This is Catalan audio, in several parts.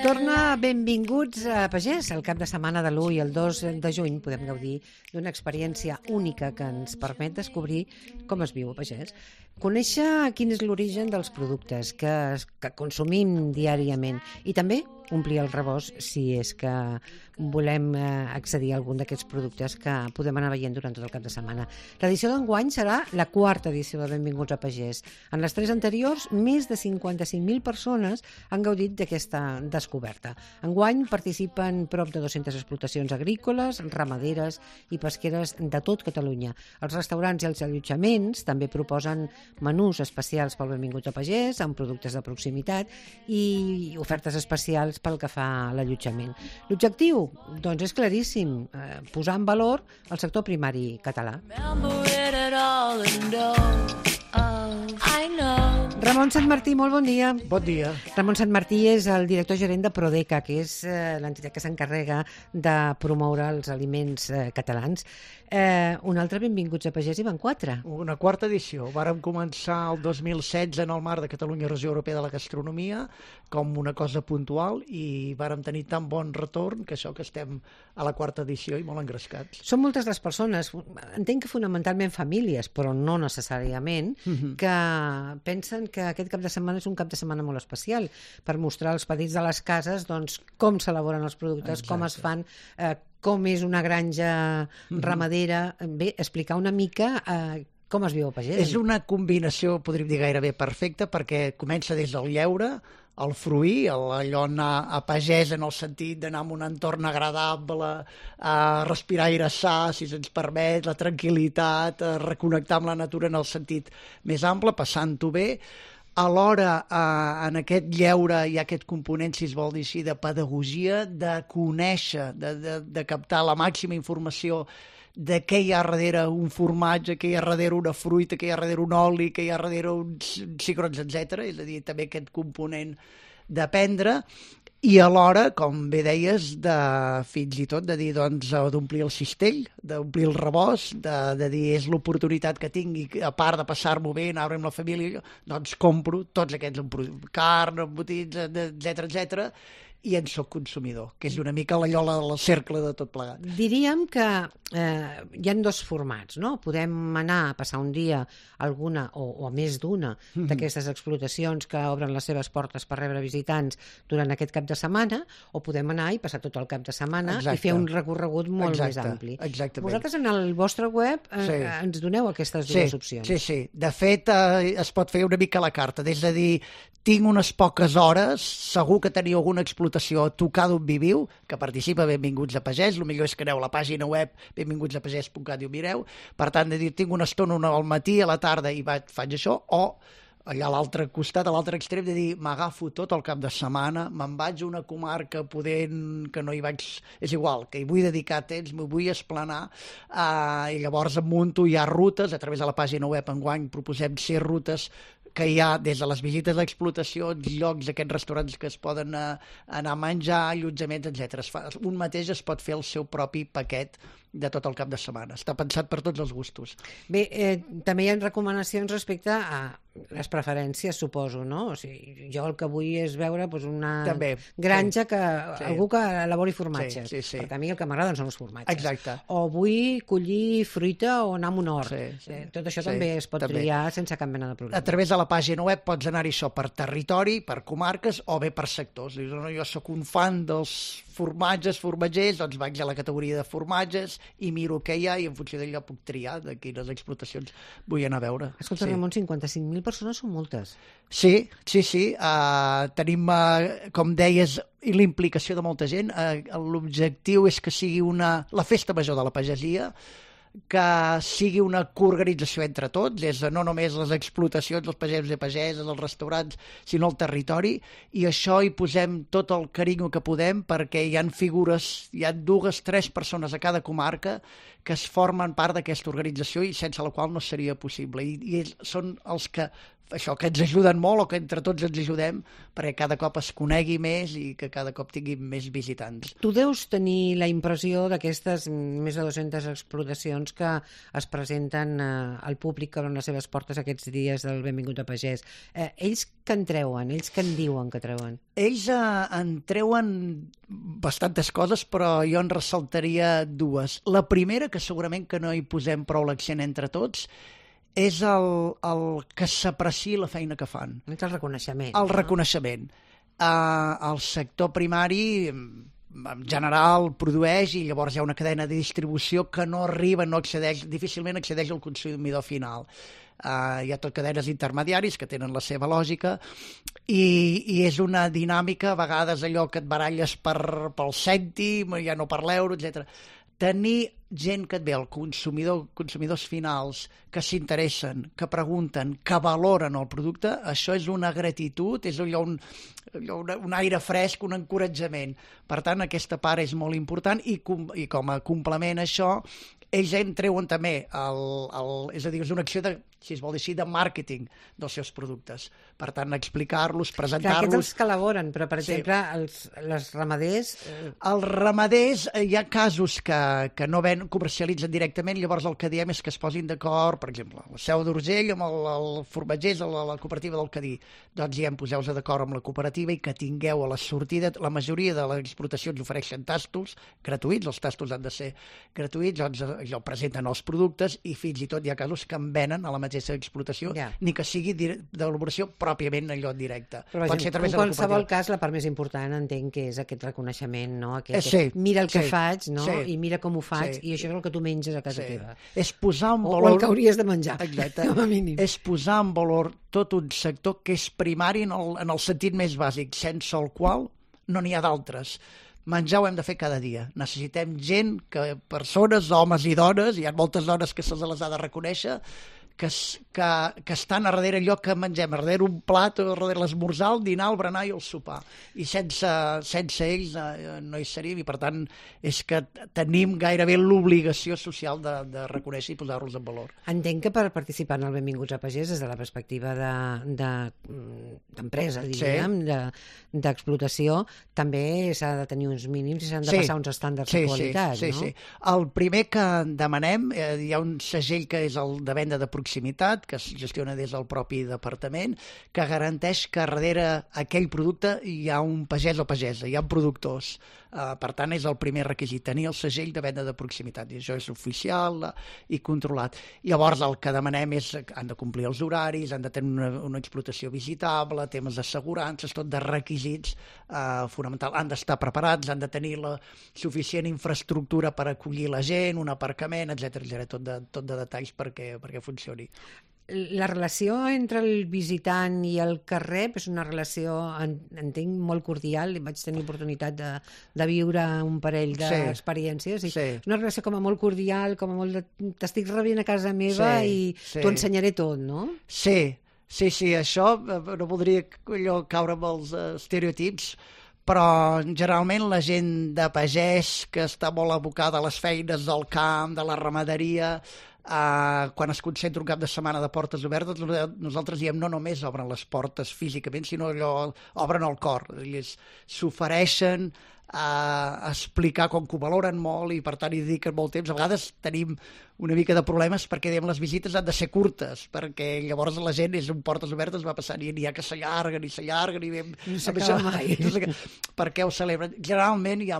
Torna Benvinguts a Pagès. El cap de setmana de l'1 i el 2 de juny podem gaudir d'una experiència única que ens permet descobrir com es viu a Pagès. Conèixer quin és l'origen dels productes que consumim diàriament i també omplir el rebost si és que volem accedir a algun d'aquests productes que podem anar veient durant tot el cap de setmana. L'edició d'enguany serà la quarta edició de Benvinguts a Pagès. En les 3 anteriors, més de 55.000 persones han gaudit d'aquesta descoberta. Enguany participen prop de 200 explotacions agrícoles, ramaderes i pesqueres de tot Catalunya. Els restaurants i els allotjaments també proposen menús especials pel Benvinguts a Pagès, amb productes de proximitat i ofertes especials pel que fa a l'allotjament. L'objectiu, doncs, és claríssim, posar en valor el sector primari català. Ramon Santmartí, molt bon dia. Bon dia. Ramon Santmartí és el director gerent de Prodeca, que és l'entitat que s'encarrega de promoure els aliments catalans. Un altre Benvinguts a Pagès i van 4. Una quarta edició. Vàrem començar el 2016 en el marc de Catalunya Regió Europea de la Gastronomia com una cosa puntual i vàrem tenir tan bon retorn que això que estem a la quarta edició i molt engrescats. Són moltes les persones, entenc que fonamentalment famílies, però no necessàriament, que pensen que aquest cap de setmana és un cap de setmana molt especial per mostrar als petits de les cases doncs, com s'elaboren els productes, com es fan, com és una granja ramadera. Bé, explicar una mica com es viu a Pagès. És una combinació, podríem dir, gairebé perfecta, perquè comença des del lleure, el fruir, allò anar a pagès en el sentit d'anar en un entorn agradable, a respirar aire sa, si se'ns permet, la tranquil·litat, a reconnectar amb la natura en el sentit més ample, passant-ho bé. Alhora, en aquest lleure hi ha aquest component, si es vol dir així, de pedagogia, de conèixer, de captar la màxima informació de què hi ha darrere un formatge, què hi ha darrere una fruita, què hi ha darrere un oli, què hi ha darrere uns cigrons, etc. És a dir, també aquest component d'aprendre i alhora, com bé deies, fins i tot de dir, doncs, d'omplir el cistell, d'omplir el rebost, de dir, és l'oportunitat que tingui, a part de passar-m'ho bé, anar amb la família, doncs compro tots aquests carn, embotits, etc, i en soc consumidor, que és una mica la llola del cercle de tot plegat. Diríem que hi ha 2 formats, no? Podem anar a passar un dia a alguna o a més d'una d'aquestes explotacions que obren les seves portes per rebre visitants durant aquest cap de setmana, o podem anar i passar tot el cap de setmana i fer un recorregut molt més ampli. Exactament. Vosaltres en el vostre web ens doneu aquestes dues opcions. Sí. De fet, es pot fer una mica a la carta, és a dir, tinc unes poques hores, segur que teniu alguna explotació a tocar d'on viviu, que participa Benvinguts a Pagès, el millor és que aneu a la pàgina web benvingutsapagès.cat i ho mireu, per tant, de dir, tinc una estona al matí, a la tarda i faig això, o allà a l'altre costat, a l'altre extrem, de dir, m'agafo tot el cap de setmana, me'n vaig a una comarca podent que no hi vaig... És igual, que hi vull dedicar temps, m'ho vull esplanar, i llavors em munto, hi ha rutes, a través de la pàgina web enguany proposem 6 rutes que hi ha des de les visites d'explotació, llocs, aquests restaurants que es poden anar a menjar, allotjaments, etc. Un mateix es pot fer el seu propi paquet de tot el cap de setmana. Està pensat per tots els gustos. Bé, també hi ha recomanacions respecte a les preferències, suposo, no? O sigui, jo el que vull és veure una granja, algú que elabori formatges. Sí. Perquè a mi el que m'agraden són els formatges. Exacte. O vull collir fruita o anar a un hort. Tot això també es pot triar sense cap mena de problema. A través de la pàgina web pots anar-hi això per territori, per comarques o bé per sectors. Jo sóc un fan dels formatgers, doncs vaig a la categoria de formatges i miro què hi ha i en funció d'allò puc triar de quines explotacions vull anar a veure. Escolta, Ramon, 55.000 persones són moltes. Sí. Tenim, com deies, la implicació de molta gent. L'objectiu és que sigui la festa major de la pagesia, que sigui una coorganització entre tots, no només les explotacions, els pagesos i pageses, els restaurants, sinó el territori, i això hi posem tot el carinyo que podem perquè hi ha figures, hi ha 2-3 persones a cada comarca que es formen part d'aquesta organització i sense la qual no seria possible. I són els que això, que ens ajuden molt o que entre tots ens ajudem perquè cada cop es conegui més i que cada cop tingui més visitants. Tu deus tenir la impressió d'aquestes més de 200 explotacions que es presenten al públic que obren les seves portes aquests dies del Benvingut a Pagès. Ells què en treuen? Ells què en diuen que treuen? Ells en treuen bastantes coses, però jo en ressaltaria dues. La primera, que segurament que no hi posem prou l'accent entre tots, és el que s'apreciï la feina que fan. És el reconeixement. El reconeixement. El sector primari, en general, produeix i llavors hi ha una cadena de distribució que no arriba, no accedeix, difícilment accedeix al consumidor final. Hi ha tot cadenes intermediaris que tenen la seva lògica i és una dinàmica, a vegades allò que et baralles pel cèntim, ja no per l'euro, etc. Tenir gent que et ve, el consumidors finals, que s'interessen, que pregunten, que valoren el producte, això és una gratitud, és allò un aire fresc, un encoratjament. Per tant, aquesta part és molt important i com a complement a això, ells en treuen també, és a dir, és una acció de, si es vol dir així, de màrqueting dels seus productes. Per tant, explicar-los, presentar-los... Clar, aquests els que elaboren, però, per exemple, els ramaders... Els ramaders, hi ha casos que no comercialitzen directament, llavors el que diem és que es posin d'acord, per exemple, la Seu d'Urgell amb el formatgers, la cooperativa del Cadí. Doncs ja poseu-vos d'acord amb la cooperativa i que tingueu a la sortida, la majoria de les explotacions ofereixen tastos gratuïts, els tastos han de ser gratuïts, doncs allò presenten els productes i fins i tot hi ha casos que en venen a la mateixa explotació, ni que sigui d'elaboració pròpiament allò en directe. Però, pot ser a través en qualsevol cas, la part més important entenc que és aquest reconeixement, no? Mira el que faig, no? I mira com ho faig, i això és el que tu menges a casa teva. És posar en valor... O el que hauries de menjar. Exacte. És posar en valor tot un sector que és primari en el sentit més bàsic, sense el qual no n'hi ha d'altres. Menjar ho hem de fer cada dia. Necessitem gent, persones, homes i dones, hi ha moltes dones que se les ha de reconèixer, que estan a darrere allò que mengem, a darrere un plat, a darrere l'esmorzar, el dinar, el berenar i el sopar. I sense ells no hi seríem i, per tant, és que tenim gairebé l'obligació social de reconèixer i posar-los en valor. Entenc que per participar en el Benvinguts a Pagès, des de la perspectiva d'empresa, diríem, d'explotació, també s'ha de tenir uns mínims i s'han de passar uns estàndards de qualitat, no? Sí. El primer que demanem, hi ha un segell que és el de venda de proximitat, que es gestiona des del propi departament, que garanteix que darrere aquell producte hi ha un pagès o pagesa, hi ha productors. Per tant, és el primer requisit, tenir el segell de venda de proximitat, i això és oficial i controlat. Llavors, el que demanem és que han de complir els horaris, han de tenir una explotació visitable, temes d'assegurances, tot de requisits fonamentals. Han d'estar preparats, han de tenir la suficient infraestructura per acollir la gent, un aparcament, etc. Tot de detalls perquè funcioni. La relació entre el visitant i el carrer és una relació, entenc, molt cordial. Vaig tenir oportunitat de viure un parell d'experiències. És una relació com a molt cordial, com a molt de t'estic rebent a casa meva i t'ho ensenyaré tot, no? Sí, això no voldria caure amb els estereotips, però generalment la gent de pagès que està molt abocada a les feines del camp, de la ramaderia, quan es concentra un cap de setmana de portes obertes, nosaltres diem no només obren les portes físicament, sinó allò obren el cor. Ells s'ofereixen a explicar com que ho valoren molt i per tant hi dediquen molt temps. A vegades tenim una mica de problemes perquè diem les visites han de ser curtes, perquè llavors la gent és un portes obertes, va passant i n'hi ha que s'allarguen i no s'acaba mai. Per què ho celebren? Generalment hi ha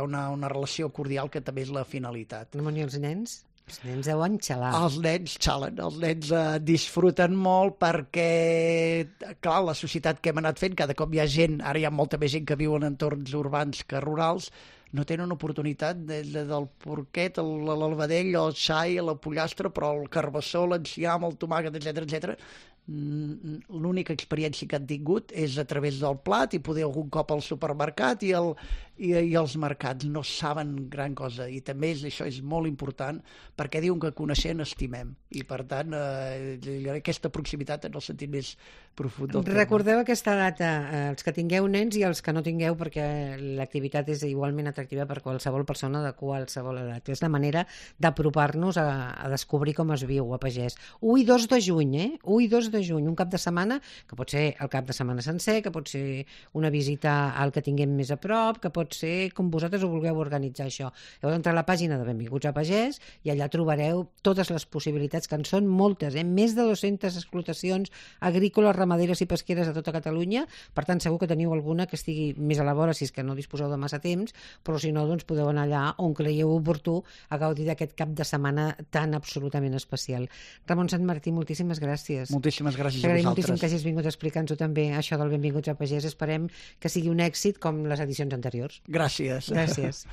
una relació cordial que també és la finalitat. No, i els nens? Els nens deuen xalar. Els nens xalen, els nens disfruten molt perquè, clar, la societat que hem anat fent, cada cop hi ha gent, ara hi ha molta més gent que viu en entorns urbans que rurals, no tenen oportunitat del porquet, l'albadell, el xai, la pollastre, però el carbassó, l'enciam, el tomàquet, etc. L'única experiència que han tingut és a través del plat i poder algun cop al supermercat i els mercats. No saben gran cosa i també això és molt important perquè diuen que coneixent estimem i per tant aquesta proximitat en el sentit més profund del terme. Recordeu aquesta data, els que tingueu nens i els que no tingueu, perquè l'activitat és igualment atractiva per qualsevol persona de qualsevol edat. És la manera d'apropar-nos a descobrir com es viu a Pagès. 1 i 2 de juny, 1 i 2 de juny, un cap de setmana, que pot ser el cap de setmana sencer, que pot ser una visita al que tinguem més a prop, que pot ser com vosaltres ho vulgueu organitzar això. Heu d'entrar a la pàgina de Benvinguts a Pagès i allà trobareu totes les possibilitats, que en són moltes, més de 200 explotacions agrícoles, ramaderes i pesqueres a tota Catalunya. Per tant, segur que teniu alguna que estigui més a la vora, si és que no disposeu de massa temps, però si no, doncs podeu anar allà on creieu oportú a gaudir d'aquest cap de setmana tan absolutament especial. Ramon Sant Martí, moltíssimes gràcies. Moltíssimes gràcies a T'agraïm vosaltres. moltíssim que hagis vingut a explicar-nos-ho també, això del Benvinguts a Pagès. Esperem que sigui un èxit com les edicions anteriors. Gràcies. Gràcies.